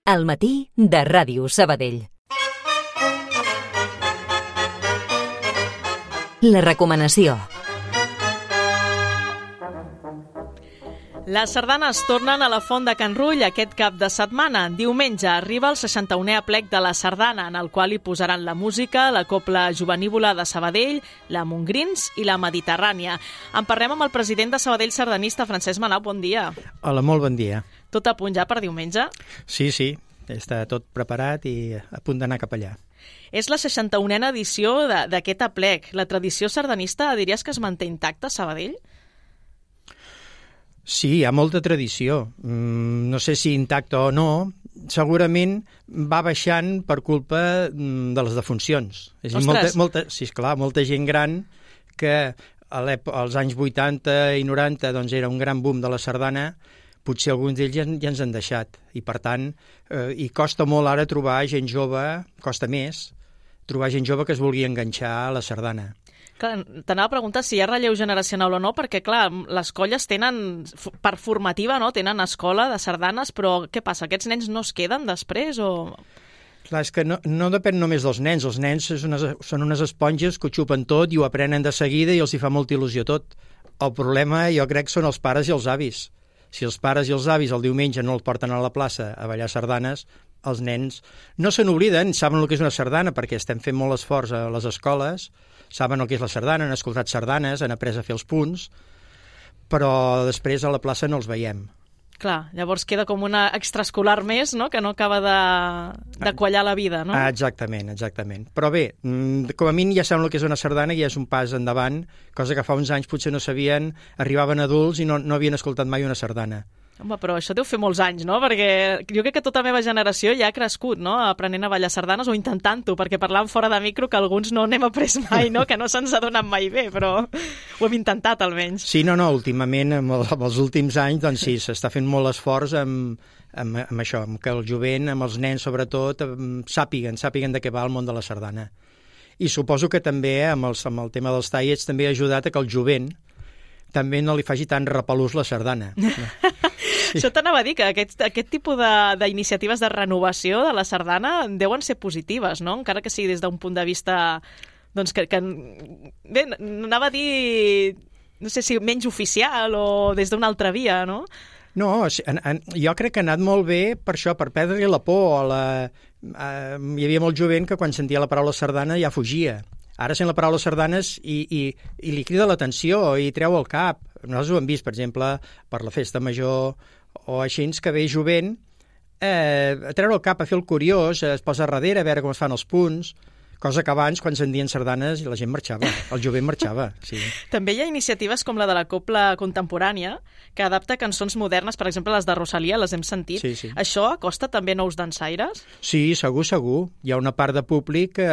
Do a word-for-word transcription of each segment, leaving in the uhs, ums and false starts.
Al matí de Ràdio Sabadell. La recomanació. Les sardanes tornen a la Font de Can Rull aquest cap de setmana. Diumenge arriba el seixanta-unè aplec de la sardana, en el qual hi posaran la música, la copla jovenívola de Sabadell, la Montgrins i la Mediterrània. En parlem amb el president de Sabadell sardanista, Francesc Manau. Bon dia. Hola, molt bon dia. Tot a punt ja per diumenge? Sí, sí, està tot preparat i a punt d'anar cap allà. És la seixanta-unena edició d'aquest aplec. La tradició sardanista, diries que es manté intacta a Sabadell? Sí, hi ha molta tradició. Mm, no sé si intacta o no. Segurament va baixant per culpa de les defuncions. És a dir, molta, molta, sí, esclar, molta gent gran que als anys vuitanta i noranta doncs, era un gran boom de la sardana. Potser alguns d'ells ja, ja ens han deixat. I, per tant, eh, i costa molt ara trobar gent jove, costa més, trobar gent jove que es vulgui enganxar a la sardana. T'anava a preguntar si hi ha relleu generacional o no, perquè, clar, les colles tenen, per formativa, no?, tenen escola de sardanes, però què passa? Aquests nens no es queden després o...? Clar, és que no, no depèn només dels nens. Els nens és unes, són unes esponges que ho xupen tot i ho aprenen de seguida i els hi fa molta il·lusió tot. El problema, jo crec, són els pares i els avis. Si els pares i els avis el diumenge no els porten a la plaça a ballar sardanes, els nens no se n'obliden, saben el que és una sardana perquè estem fent molt esforç a les escoles, saben el que és la sardana, han escoltat sardanes, han après a fer els punts, però després a la plaça no els veiem. Clar, llavors queda com una extraescolar més, no?, que no acaba de, de quallar la vida, no? Ah, exactament, exactament. Però bé, com a mínim ja saben el que és una sardana i ja és un pas endavant, cosa que fa uns anys potser no sabien, arribaven adults i no, no havien escoltat mai una sardana. Home, però això deu fer molts anys, no? Perquè jo crec que tota la meva generació ja ha crescut, no?, aprenent a ballar sardanes o intentant-ho, perquè parlàvem fora de micro que alguns no n'hem après mai, no?, que no se'ns ha donat mai bé, però ho hem intentat almenys. Sí, no, no, últimament, amb, el, amb els últims anys, doncs sí, s'està fent molt esforç amb, amb, amb això, amb que el jovent, amb els nens sobretot, sàpiguen, sàpiguen de què va el món de la sardana. I suposo que també, amb, els, amb el tema dels tallets, també ha ajudat a que el jovent també no li faci tan repelús la sardana. Sí. Això t'anava a dir, que aquest, aquest tipus d'iniciatives de, de renovació de la sardana deuen ser positives, no?, encara que sigui des d'un punt de vista, doncs, que, que bé, anava a dir, no sé si menys oficial o des d'una altra via, no? No, en, en, jo crec que ha anat molt bé per això, per perdre la por. La, eh, hi havia molt jovent que quan sentia la paraula sardana ja fugia. Ara sent la paraula sardanes i, i, i li crida l'atenció i treu el cap. Nosaltres ho hem vist, per exemple, per la festa major o així, que ve jovent eh, a treure el cap, a fer el curiós, es posa darrere a veure com es fan els punts, cosa que abans, quan sentien sardanes, la gent marxava, el jovent marxava. Sí. També hi ha iniciatives com la de la copla contemporània, que adapta cançons modernes, per exemple, les de Rosalia, les hem sentit. Sí, sí. Això acosta també nous dansaires? Sí, segur, segur. Hi ha una part de públic que,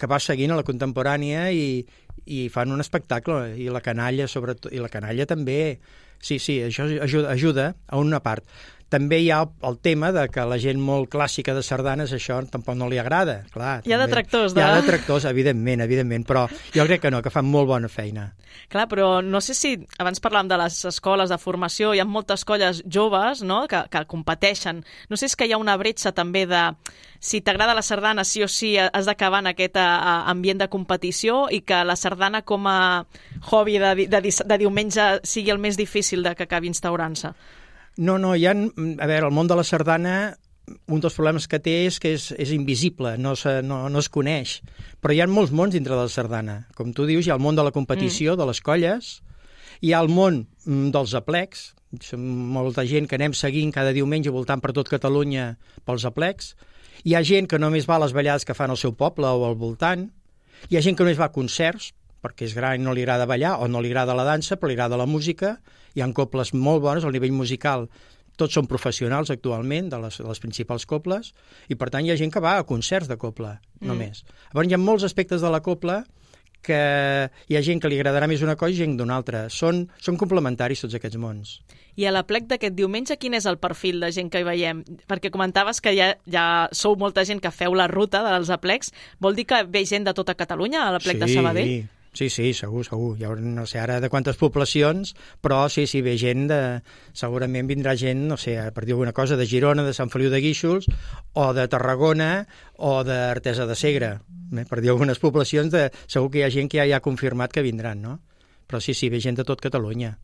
que va seguint a la contemporània i, i fan un espectacle, i la canalla, sobretot, i la canalla també. Sí, sí, això ajuda, ajuda a una part. També hi ha el, el tema de que la gent molt clàssica de sardanes això tampoc no li agrada. Clar, hi ha detractors, de... Hi ha detractors, evidentment, evidentment, però jo crec que no, que fan molt bona feina. Clar, però no sé si, abans parlàvem de les escoles de formació, hi ha moltes colles joves, no?, que, que competeixen. No sé si és que hi ha una bretxa també de si t'agrada la sardana, sí o sí has d'acabar en aquest a, ambient de competició i que la sardana com a hobby de, de, de diumenge sigui el més difícil de que acabi instaurant-se. No, no, hi ha... A veure, el món de la sardana, un dels problemes que té és que és, és invisible, no, se, no, no es coneix. Però hi ha molts mons dintre de la sardana. Com tu dius, hi ha el món de la competició, mm. de les colles, hi ha el món dels aplecs, som molta gent que anem seguint cada diumenge voltant per tot Catalunya pels aplecs, hi ha gent que només va a les ballades que fan al seu poble o al voltant, hi ha gent que només va a concerts, perquè és gran i no li agrada ballar, o no li agrada la dansa, però li agrada la música. Hi ha coples molt bones, al nivell musical tots són professionals actualment, de les, de les principals coples, i per tant hi ha gent que va a concerts de copla, mm. només. Llavors hi ha molts aspectes de la copla que hi ha gent que li agradarà més una cosa i gent d'una altra. Són, són complementaris tots aquests mons. I a l'aplec d'aquest diumenge, quin és el perfil de gent que hi veiem? Perquè comentaves que ja, ja sou molta gent que feu la ruta dels aplecs. Vol dir que ve gent de tota Catalunya a l'aplec sí, de Sabadell? Sí, sí, segur, segur. Hi haurà, no sé ara de quantes poblacions, però sí, sí, ve gent de... Segurament vindrà gent, no sé, per dir alguna cosa, de Girona, de Sant Feliu de Guíxols, o de Tarragona, o d'Artesa de Segre. Per dir algunes poblacions, de... segur que hi ha gent que ja, ja ha confirmat que vindran, no? Però sí, sí, ve gent de tot Catalunya.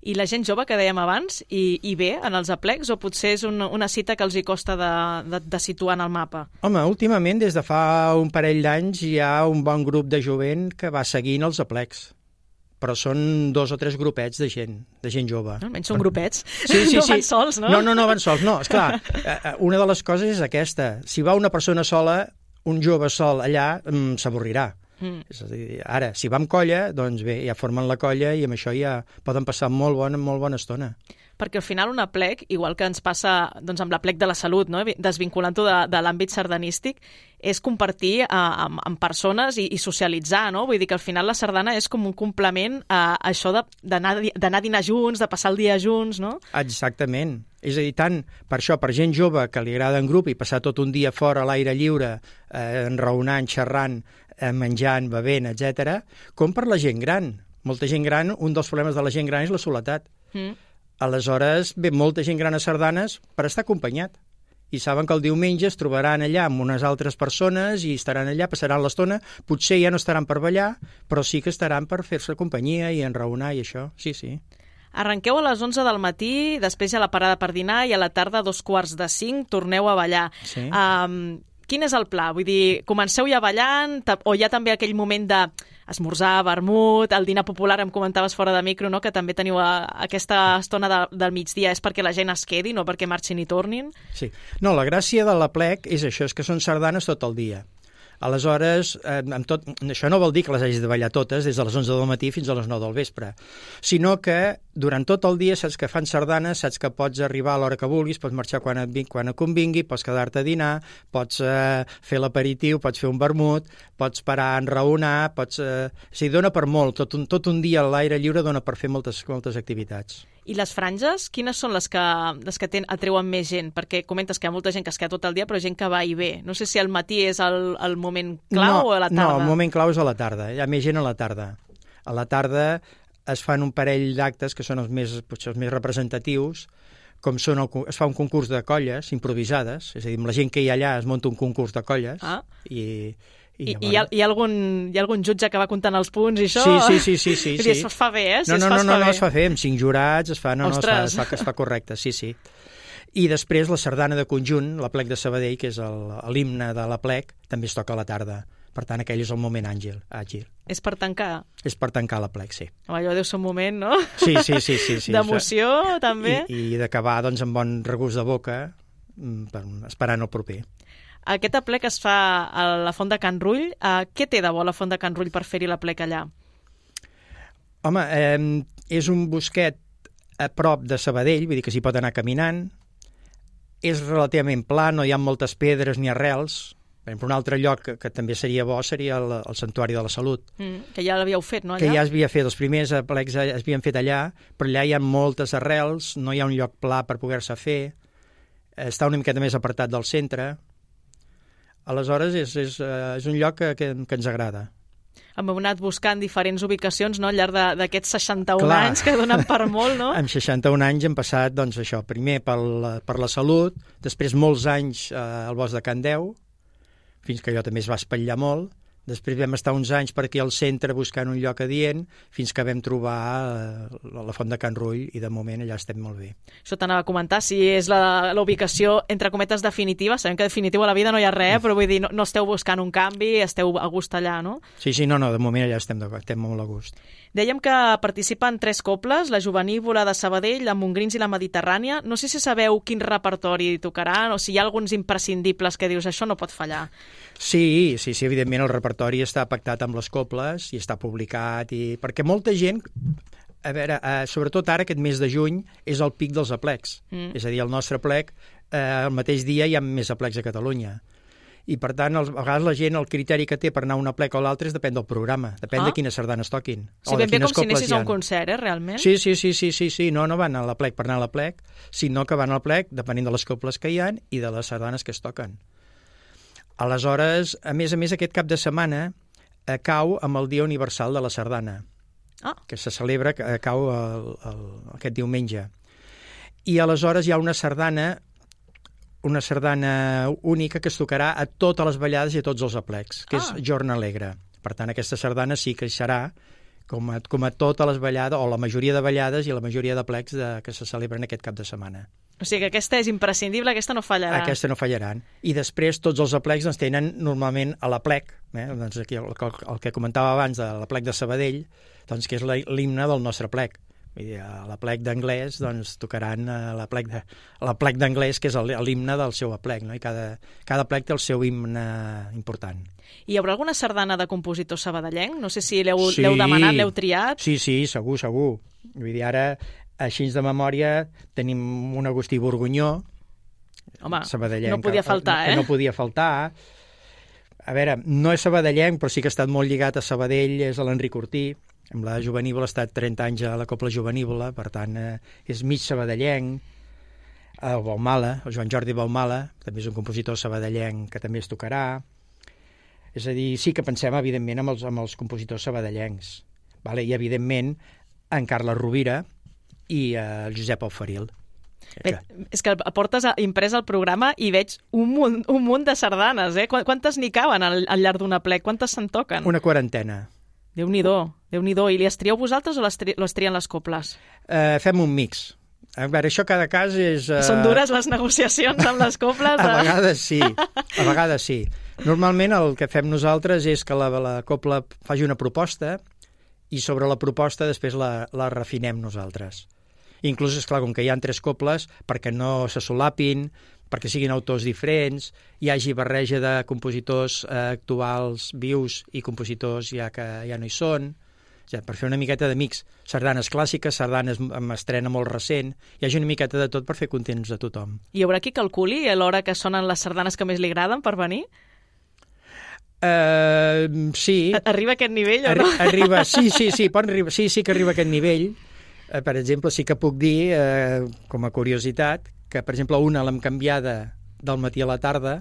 I la gent jove, que dèiem abans, hi, hi ve en els aplecs o potser és un, una cita que els hi costa de, de, de situar en el mapa? Home, últimament, des de fa un parell d'anys, hi ha un bon grup de jovent que va seguint els aplecs. Però són dos o tres grupets de gent, de gent jove. Almenys són grupets. Sí, sí, no sí. van sols, no? No, no, no van sols, no. Esclar, una de les coses és aquesta. Si va una persona sola, un jove sol allà, s'avorrirà. Mm. És a dir, ara, si va amb colla, doncs bé, ja formen la colla i amb això ja poden passar molt bona, molt bona estona. Perquè al final un aplec, igual que ens passa doncs, amb l'aplec de la salut, no? Desvinculant-ho de, de l'àmbit sardanístic, és compartir uh, amb, amb persones i, i socialitzar, no? Vull dir que al final la sardana és com un complement a, a això d'anar a dinar junts, de passar el dia junts, no? Exactament. És a dir, tant per això, per gent jove que li agrada en grup i passar tot un dia fora a l'aire lliure, eh, enraonant, xerrant, eh, menjant, bevent, etcètera, com per la gent gran. Molta gent gran, un dels problemes de la gent gran és la soledat. Mm. Aleshores, ve molta gent gran a sardanes per estar acompanyat. I saben que el diumenge es trobaran allà amb unes altres persones i estaran allà, passaran l'estona. Potser ja no estaran per ballar, però sí que estaran per fer-se companyia i enraonar i això. Sí, sí. Arrenqueu a les onze del matí, després hi ha la parada per dinar i a la tarda, a dos quarts de cinc, torneu a ballar. Sí. Um, quin és el pla? Vull dir, comenceu ja ballant o hi ha també aquell moment de esmorzar, vermut, el dinar popular, em comentaves fora de micro, no? Que també teniu a, aquesta estona de, del migdia, és perquè la gent es quedi, no perquè marxin i tornin? Sí. No, la gràcia de l'aplec és això, és que són sardanes tot el dia. Aleshores, eh, amb tot, això no vol dir que les hagis de ballar totes des de les onze del matí fins a les nou del vespre, sinó que durant tot el dia saps que fan sardanes, saps que pots arribar a l'hora que vulguis, pots marxar quan et, quan et convingui, pots quedar-te a dinar, pots eh, fer l'aperitiu, pots fer un vermut, pots parar a enraonar, pots... Eh... O sigui, dona per molt, tot un, tot un dia a l'aire lliure dona per fer moltes, moltes activitats. I les franges, quines són les que, les que ten, atreuen més gent? Perquè comentes que hi ha molta gent que es queda tot el dia, però gent que va i ve. No sé si al matí és el, el moment clau no, o a la tarda? No, el moment clau és a la tarda. Hi ha més gent a la tarda. A la tarda es fan un parell d'actes que són els més, potser els més representatius, com són el, es fa un concurs de colles improvisades, és a dir, amb la gent que hi ha allà es munta un concurs de colles ah. i... I, I, i, hi ha, hi, ha algun, hi ha algun jutge que va comptant els punts i això? Sí, sí, sí. sí, sí, sí. Es fa bé, eh? Si no, no, es fa, no, no, es fa no, bé. es fa bé, amb cinc jurats, es fa, no, no, es fa, es, fa, es fa correcte, sí, sí. I després la sardana de conjunt, l'Aplec de Sabadell, que és l'himne de l'Aplec, també es toca a la tarda. Per tant, aquell és el moment àgil. àgil. És per tancar? És per tancar l'Aplec, sí. Home, allò deu ser un moment, no? Sí, sí, sí. sí, sí D'emoció, també. I, i d'acabar doncs, amb bon regust de boca, per, esperant el proper. Aquest aplec es fa a la Font de Can Rull. Uh, què té de bo la Font de Can Rull per fer-hi l'aplec allà? Home, eh, és un bosquet a prop de Sabadell, vull dir que s'hi pot anar caminant. És relativament pla, no hi ha moltes pedres ni arrels. Per exemple, un altre lloc que, que també seria bo seria el, el Santuari de la Salut. Mm, que ja l'havíeu fet, no, allà? Que ja es havia fet, els primers aplecs es havien fet allà, però allà hi ha moltes arrels, no hi ha un lloc pla per poder-se fer, està una miqueta més apartat del centre. Aleshores, és, és, és un lloc que, que, que ens agrada. Hem anat buscant diferents ubicacions, no?, al llarg d'aquests seixanta-un Clar. anys, que donen per molt, no? Amb seixanta-un anys hem passat, doncs, això, primer per la, per la Salut, després molts anys eh, al Bosc de Can Deu, fins que allò també es va espatllar molt. Després vam estar uns anys per aquí al centre buscant un lloc adient, fins que vam trobar eh, la Font de Can Rull i de moment allà estem molt bé. Això t'anava a comentar, si és la, la ubicació entre cometes definitiva, sabem que definitiu a la vida no hi ha res, però vull dir, no, no esteu buscant un canvi, esteu a gust allà, no? Sí, sí, no, no, de moment allà estem, estem molt a gust. Dèiem que participen tres cobles, la Jovenívola de Sabadell, la Montgrins i la Mediterrània. No sé si sabeu quin repertori tocaran o si hi ha alguns imprescindibles que dius això no pot fallar. Sí, sí, sí, evidentment el repertori està pactat amb les cobles i està publicat, i perquè molta gent, a veure, eh, sobretot ara aquest mes de juny, és el pic dels aplecs. Mm. És a dir, el nostre aplec, eh, el mateix dia hi ha més aplecs a Catalunya. I, per tant, a vegades la gent, el criteri que té per anar a un aplec o l'altre és depèn del programa, depèn ah. de quines sardanes toquin. Sí, ben bé com si anessis a un concert, eh, realment? Sí, sí, sí, sí, sí, sí. No, no van a l'aplec per anar a l'aplec, sinó que van a l'aplec depenent de les cobles que hi ha i de les sardanes que es toquen. Aleshores, a més a més, aquest cap de setmana eh, cau amb el Dia Universal de la Sardana, Ah. que se celebra, que eh, cau el, el, aquest diumenge. I aleshores hi ha una sardana una sardana única que es tocarà a totes les ballades i a tots els aplecs, que ah. és Jorn Alegre. Per tant, aquesta sardana sí que hi serà com a, com a totes les ballades, o la majoria de ballades i la majoria de plecs de, que se celebren aquest cap de setmana. O sigui que aquesta és imprescindible, aquesta no fallarà. Aquesta no fallaran. I després tots els aplecs doncs, tenen normalment a l'aplec, eh? doncs aquí el, el, el que comentava abans de l'aplec de Sabadell, doncs, que és l'himne del nostre plec. Vull dir, a l'aplec d'anglès doncs, tocaran l'aplec de, l'aplec d'anglès, que és l'himne del seu aplec, no? I cada, cada plec té el seu himne important. I hi haurà alguna sardana de compositor sabadellenc? No sé si l'heu sí, demanat, l'heu triat. Sí, sí, segur, segur. Vull dir, ara, així de memòria, tenim un Agustí Borgunyó, Home, sabadellenc, no podia faltar, que, eh? que no podia faltar. A veure, no és sabadellenc, però sí que ha estat molt lligat a Sabadell, és l'Enric Ortí. Amb la Jovenívola ha estat trenta anys a la Copla Jovenívola, per tant, eh, és mig sabadellenc. El Baumala, el Joan Jordi Baumala, també és un compositor sabadellenc que també es tocarà. És a dir, sí que pensem, evidentment, amb els, amb els compositors sabadellencs. Vale? I, evidentment, en Carles Rovira i eh, el Josep Auferil. Bé, és que portes imprès el programa i veig un munt, un munt de sardanes, eh? Quantes n'hi caben al, al llarg d'una plec? Quantes se'n toquen? Una quarantena. Déu-n'hi-do, Déu-n'hi-do. I les trieu vosaltres o les, tri les trien les coples? Uh, fem un mix. A veure, això cada cas és... Uh... Són dures les negociacions amb les coples? A vegades sí, a vegades sí. Normalment el que fem nosaltres és que la, la copla faci una proposta i sobre la proposta després la, la refinem nosaltres. Inclús, esclar, com que hi ha tres coples, perquè no se solapin, perquè siguin autors diferents, hi hagi barreja de compositors eh, actuals, vius, i compositors ja que ja no hi són, ja, per fer una miqueta de mix. Sardanes clàssiques, sardanes amb estrena molt recent, hi hagi una miqueta de tot per fer contents de tothom. Hi haurà qui calculi a l'hora que sonen les sardanes que més li agraden per venir? Uh, sí. Arriba a aquest nivell o no? Arri arriba, sí, sí, sí, pot arribar, sí, sí que arriba a aquest nivell. Uh, per exemple, sí que puc dir, uh, com a curiositat, que, per exemple, una l'hem canviada del matí a la tarda.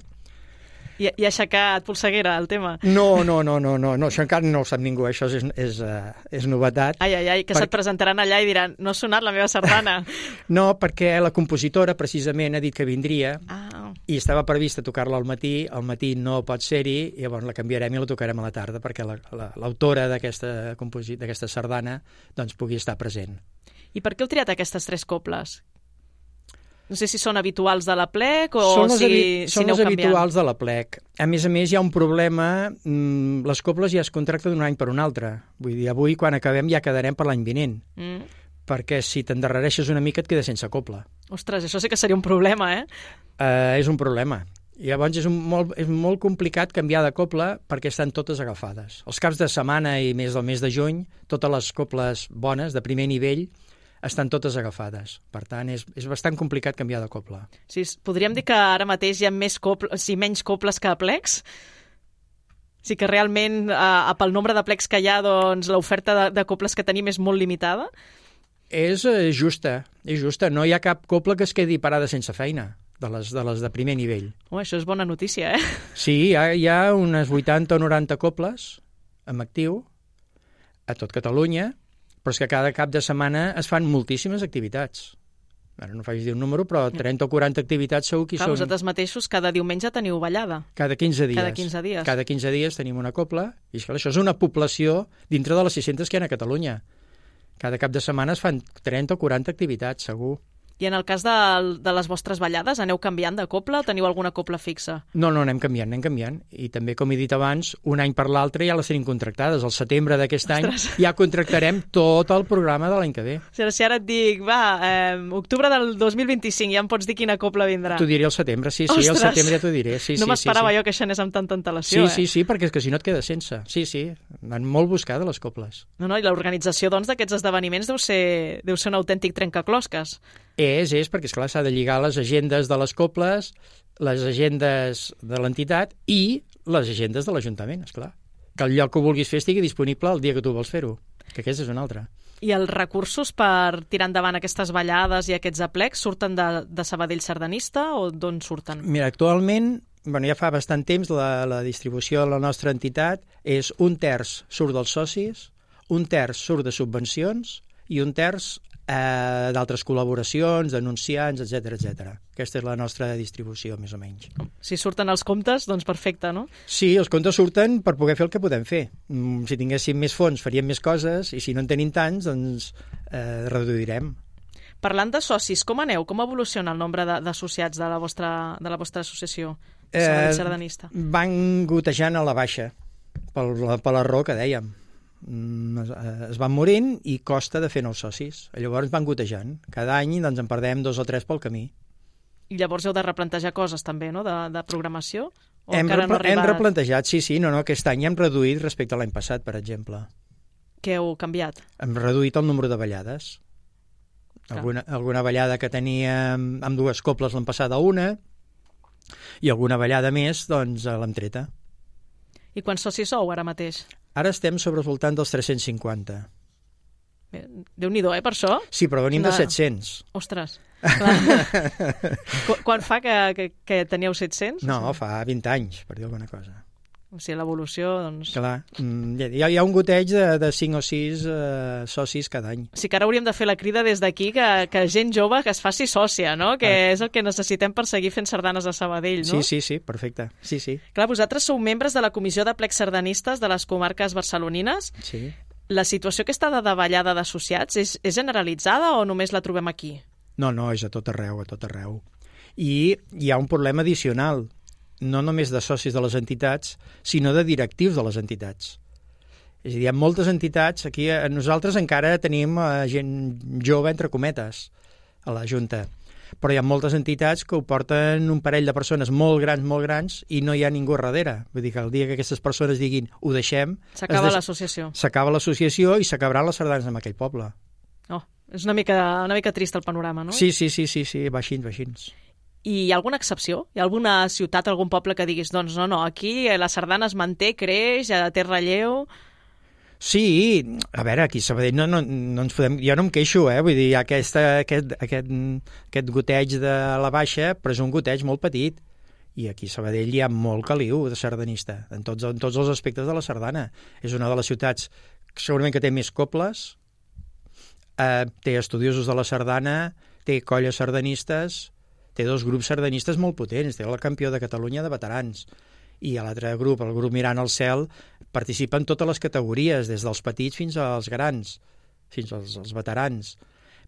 I, i ha aixecat polseguera, el tema? No, no, no, no, no, no, això encara no ho sap ningú, això és, és, uh, és novetat. Ai, ai, ai, que per... se't presentaran allà i diran, no ha sonat la meva sardana. No, perquè la compositora, precisament, ha dit que vindria ah. i estava prevista tocar-la al matí, al matí no pot ser-hi, i llavors la canviarem i la tocarem a la tarda, perquè l'autora la, d'aquesta d'aquesta sardana doncs, pugui estar present. I per què heu triat aquestes tres coples? No sé si són habituals de la plec o són les si, si si aneu canviant. Són les habituals de la plec. A més a més, hi ha un problema. Mmm, les coples ja es contracten d'un any per un altre. Vull dir, avui, quan acabem, ja quedarem per l'any vinent. Mm. Perquè si t'endarrereixes una mica et quedes sense copla. Ostres, això sí que seria un problema, eh? Uh, és un problema. I llavors és, un molt, és molt complicat canviar de copla perquè estan totes agafades. Els caps de setmana i més del mes de juny, totes les coples bones, de primer nivell, estan totes agafades. Per tant, és, és bastant complicat canviar de copla. Sí, podríem dir que ara mateix hi ha més coples, sí, menys coples que plecs? Sí que realment, eh, pel nombre de plecs que hi ha, doncs, l'oferta de, de coples que tenim és molt limitada? És eh, justa, és justa. No hi ha cap copla que es quedi parada sense feina, de les de, les de primer nivell. Oh, això és bona notícia, eh? Sí, hi ha, hi ha unes vuitanta o noranta coples en actiu a tot Catalunya, però és que cada cap de setmana es fan moltíssimes activitats. Ara no faig dir un número, però trenta o quaranta activitats segur que hi Clar, són. Vosaltres mateixos cada diumenge teniu ballada. Cada quinze dies. Cada quinze dies. Cada quinze dies tenim una copla, i això és una població dintre de les sis-centes que hi ha a Catalunya. Cada cap de setmana es fan trenta o quaranta activitats, segur. I en el cas de, de les vostres ballades, aneu canviant de copla o teniu alguna copla fixa? No, no, anem canviant, anem canviant. I també, com he dit abans, un any per l'altre ja les tenim contractades. Al setembre d'aquest any ja contractarem tot el programa de l'any que ve. Si ara, si ara et dic, va, eh, octubre del dos mil vint-i-cinc, ja em pots dir quina copla vindrà. T'ho diré al setembre, sí, sí, Ostres! al setembre ja t'ho diré. Sí, no sí, m'esperava sí, sí. jo que això anés amb tanta antelació, sí, eh? Sí, sí, perquè és que si no et quedes sense. Sí, sí, van molt buscades les coples. No, no, i l'organització, doncs, d'aquests esdeveniments deu ser, deu ser un autèntic trencaclosques. És, és, perquè, esclar, s'ha de lligar les agendes de les coples, les agendes de l'entitat i les agendes de l'Ajuntament, esclar. Que el lloc que vulguis fer estigui disponible el dia que tu vols fer-ho, que aquesta és una altra. I els recursos per tirar endavant aquestes ballades i aquests aplecs surten de, de Sabadell Sardanista o d'on surten? Mira, actualment bueno, ja fa bastant temps, la, la distribució de la nostra entitat és un terç surt dels socis, un terç surt de subvencions i un terç eh, d'altres col·laboracions, denunciants, etcètera etcètera. Aquesta és la nostra distribució, més o menys. Si surten els comptes, doncs perfecte, no? Sí, els comptes surten per poder fer el que podem fer. Mm, Si tinguéssim més fons faríem més coses i si no en tenim tants, doncs eh, reduirem. Parlant de socis, com aneu? Com evoluciona el nombre de- d'associats de, la vostra, de la vostra associació Sabadell Sardanista? Van gotejant a la baixa, per la, per la raó que dèiem. Mm, Es, eh, es van morint i costa de fer nous socis. Llavors van gotejant. Cada any doncs, en perdem dos o tres pel camí. I llavors heu de replantejar coses també, no?, de, de programació? O Hem, encara no ha repla- hem arribat? replantejat, sí, sí, no, no, aquest any hem reduït respecte a l'any passat, per exemple. Què heu canviat? Hem reduït el número de ballades. Clar. Alguna, alguna ballada que teníem amb dues cobles l'hem passat a una i alguna ballada més doncs l'hem treta. I quants socis sou ara mateix? Ara estem sobre el voltant dels tres-cents cinquanta. Bé, Déu-n'hi-do, eh, per això? Sí, però venim Una- de set-cents. Ostres. Clar. Qu- Quan fa que, que, que teníeu set-cents? No, fa vint anys, per dir alguna cosa. O sigui, l'evolució, doncs... Clar, mm, hi ha, hi ha un goteig de, de cinc o sis eh, socis cada any. Sí que ara hauríem de fer la crida des d'aquí que, que gent jove que es faci sòcia, no? Que Ah. és el que necessitem per seguir fent sardanes a Sabadell, no? Sí, sí, sí, perfecte. Sí, sí. Clar, vosaltres sou membres de la Comissió de Plecs Sardanistes de les comarques barcelonines. sí. La situació aquesta de davallada d'associats és, és generalitzada o només la trobem aquí? No, no, és a tot arreu, a tot arreu. I hi ha un problema addicional, no només de socis de les entitats, sinó de directius de les entitats. És a dir, hi ha moltes entitats, aquí eh, nosaltres encara tenim eh, gent jove, entre cometes, a la Junta, però hi ha moltes entitats que ho porten un parell de persones molt grans, molt grans, i no hi ha ningú darrere. Vull dir que el dia que aquestes persones diguin ho deixem... S'acaba es des- l'associació. S'acaba l'associació i s'acabaran les sardanes en aquell poble. Oh, és una mica, una mica trist el panorama, no? Sí, sí, sí, sí, sí, va així, va així. I hi ha alguna excepció? Hi ha alguna ciutat, algun poble que diguis, doncs no, no, aquí la sardana es manté, creix, ja té relleu... Sí, a veure, aquí a Sabadell no, no, no ens podem... Jo no em queixo, eh? Vull dir, hi ha aquesta, aquest, aquest, aquest goteig de la baixa, però és un goteig molt petit. I aquí a Sabadell hi ha molt caliu de sardanista, en tots, en tots els aspectes de la sardana. És una de les ciutats que segurament que té més cobles, eh, té estudiosos de la sardana, té colles sardanistes, té dos grups sardanistes molt potents, té el campió de Catalunya de veterans, i a l'altre grup, el grup Mirant al Cel, participa en totes les categories, des dels petits fins als grans, fins als, als veterans.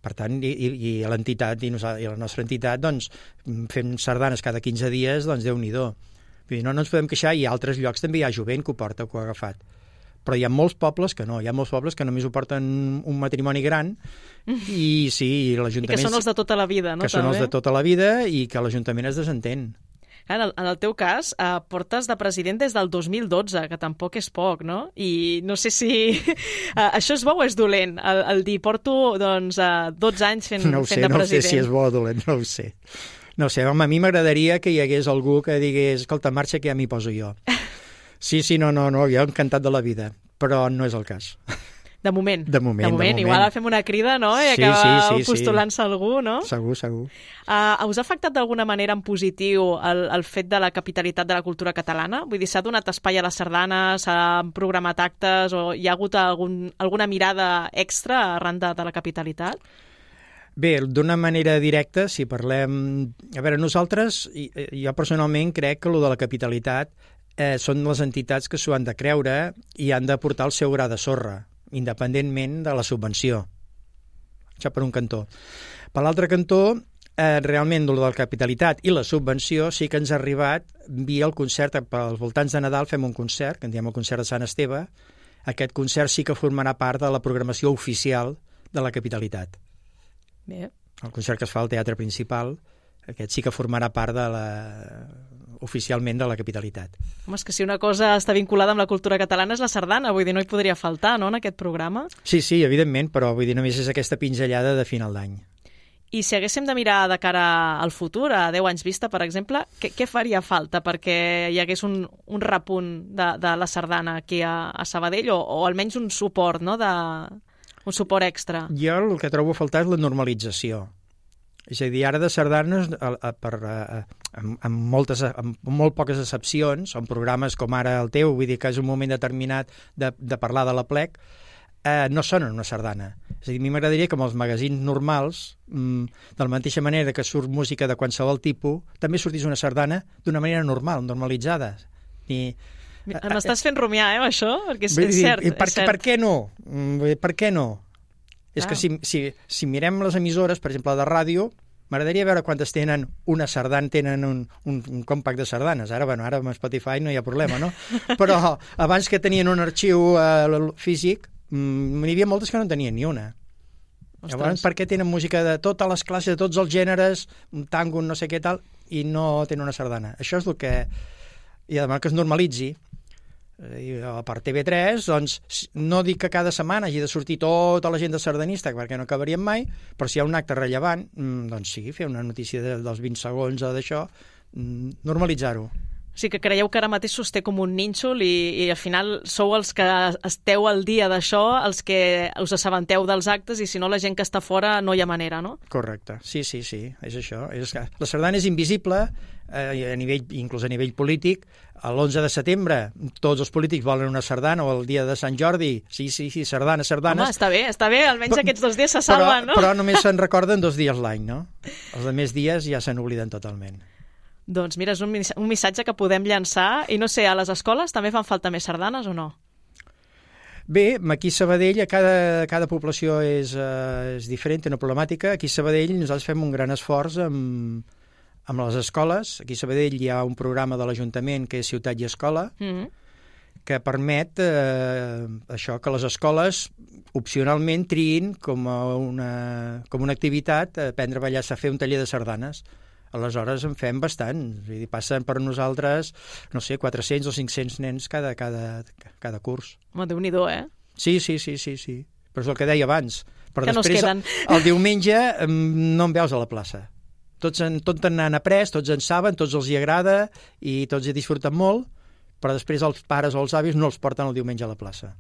Per tant, i, i, i l'entitat, i, nosaltres, i la nostra entitat, doncs, fem sardanes cada quinze dies, doncs Déu-n'hi-do. Vull dir, no, no ens podem queixar, i a altres llocs també hi ha jovent que ho porta, que ho ha agafat. Però hi ha molts pobles que no, hi ha molts pobles que només ho porten un matrimoni gran, i sí, i l'Ajuntament... I que són els de tota la vida, no? Que són els també? de tota la vida i que l'Ajuntament es desentén. En el, en el teu cas, eh, portes de president des del dos mil dotze, que tampoc és poc, no? I no sé si... Eh, això és bo o és dolent? El, el dir, porto doncs, eh, dotze anys fent, No ho sé, fent de no ho sé president. si és bo o dolent, no ho sé. No ho sé, home, a mi m'agradaria que hi hagués algú que digués, escolta, marxa que ja m'hi poso jo. Sí, sí, no, no, no, jo encantat de la vida, però no és el cas. De moment. De moment, de moment. de moment. Igual fem una crida, no? I Sí, acaba sí, sí, sí. postulant-se algú, no? Segur, segur. Uh, us ha afectat d'alguna manera en positiu el, el fet de la capitalitat de la cultura catalana? Vull dir, s'ha donat espai a la sardana, s'han programat actes, o hi ha hagut algun, alguna mirada extra arran de, de la capitalitat? Bé, d'una manera directa, si parlem... A veure, nosaltres, i- jo personalment crec que lo de la capitalitat eh, són les entitats que s'ho han de creure i han de portar el seu gra de sorra, independentment de la subvenció. Això per un cantó. Per l'altre cantó, eh, realment, el de la capitalitat i la subvenció sí que ens ha arribat via el concert, pels voltants de Nadal fem un concert, que en diem el concert de Sant Esteve. Aquest concert sí que formarà part de la programació oficial de la capitalitat. Bé. El concert que es fa al Teatre Principal, aquest sí que formarà part de la... oficialment de la capitalitat. Home, és que si una cosa està vinculada amb la cultura catalana és la sardana, vull dir, no hi podria faltar, no?, en aquest programa. Sí, sí, evidentment, però vull dir, només és aquesta pinzellada de final d'any. I si haguéssim de mirar de cara al futur, a deu anys vista, per exemple, què, què faria falta perquè hi hagués un, un repunt de, de la sardana aquí a, a Sabadell, o, o almenys un suport, no?, de, un suport extra? Jo el que trobo a faltar és la normalització. És a dir, ara de sardanes, a, a, per, a, amb, amb, moltes, amb molt poques excepcions, són programes com ara el teu, vull dir que és un moment determinat de, de parlar de l'Aplec, eh, no sonen una sardana. És a dir, a mi m'agradaria que amb els magazins normals, mmm, de la mateixa manera que surt música de qualsevol tipus, també sortís una sardana d'una manera normal, normalitzada. I, M'estàs fent rumiar, eh, amb això? Perquè és, dir, és cert. I per, és cert. per què no? Per què no? És Ah. que si, si, si mirem les emissores, per exemple, de ràdio, m'agradaria veure quantes tenen una sardana, tenen un, un, un compact de sardanes. Ara, bueno, ara amb Spotify no hi ha problema, no? Però abans que tenien un arxiu eh, físic, mm, n'hi havia moltes que no en tenien ni una. Ostres. Llavors, per què tenen música de totes les classes, de tots els gèneres, un tango, un no sé què tal, i no tenen una sardana? Això és el que... I además que es normalitzi. I per T V tres, doncs, no dic que cada setmana hagi de sortir tota la gent de sardanista, perquè no acabaríem mai, però si hi ha un acte rellevant, doncs sí, fer una notícia de, dels vint segons o d'això, normalitzar-ho. O sigui que creieu que ara mateix sosté com un nínxol i, i al final sou els que esteu al dia d'això, els que us assabenteu dels actes, i si no la gent que està fora no hi ha manera, no? Correcte, sí, sí, sí, és això. És que la sardana és invisible, eh, a nivell, inclús a nivell polític. L'onze de setembre tots els polítics volen una sardana, o el dia de Sant Jordi, sí, sí, sí, sardana, sardanes. Home, està bé, està bé, almenys però, aquests dos dies se salven, però, no? Però només se'n recorden dos dies l'any, no? Els altres dies ja se n'obliden totalment. Doncs mira, és un, un missatge que podem llançar, i no sé, a les escoles també fan falta més sardanes o no? Bé, aquí a Sabadell, cada, cada població és, uh, és diferent, té una problemàtica. Aquí a Sabadell nosaltres fem un gran esforç amb, amb les escoles. Aquí a Sabadell hi ha un programa de l'Ajuntament que és Ciutat i Escola, mm-hmm. que permet eh, això, que les escoles opcionalment triïn com a una, com una activitat aprendre a ballar, a fer un taller de sardanes. Aleshores en fem bastant, vull dir, passen per nosaltres, no sé, quatre-cents o cinc-cents nens cada, cada, cada curs. Home, Déu-n'hi-do, eh? Sí, sí, sí, sí, sí. Però és el que deia abans. Però que després, no es queden. El, el diumenge no em veus a la plaça. Tots, en, tots n'han après, tots en saben, tots els hi agrada i tots hi disfruten molt, però després els pares o els avis no els porten el diumenge a la plaça.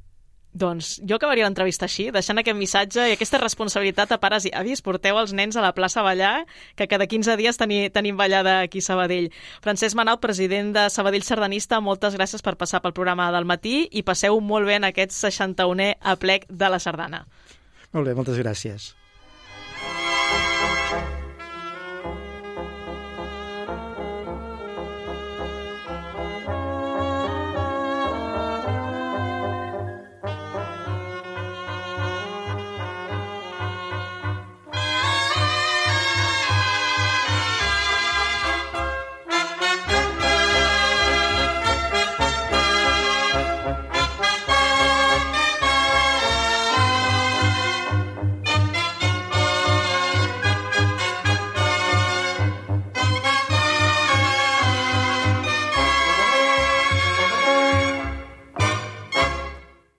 Doncs jo acabaria l'entrevista així, deixant aquest missatge i aquesta responsabilitat a pares i avis. Porteu els nens a la plaça a ballar, que cada quinze dies teni, tenim ballada aquí a Sabadell. Francesc Manal, president de Sabadell Sardanista, moltes gràcies per passar pel programa del matí i passeu molt bé en aquest seixanta-unè aplec de la sardana. Molt bé, moltes gràcies.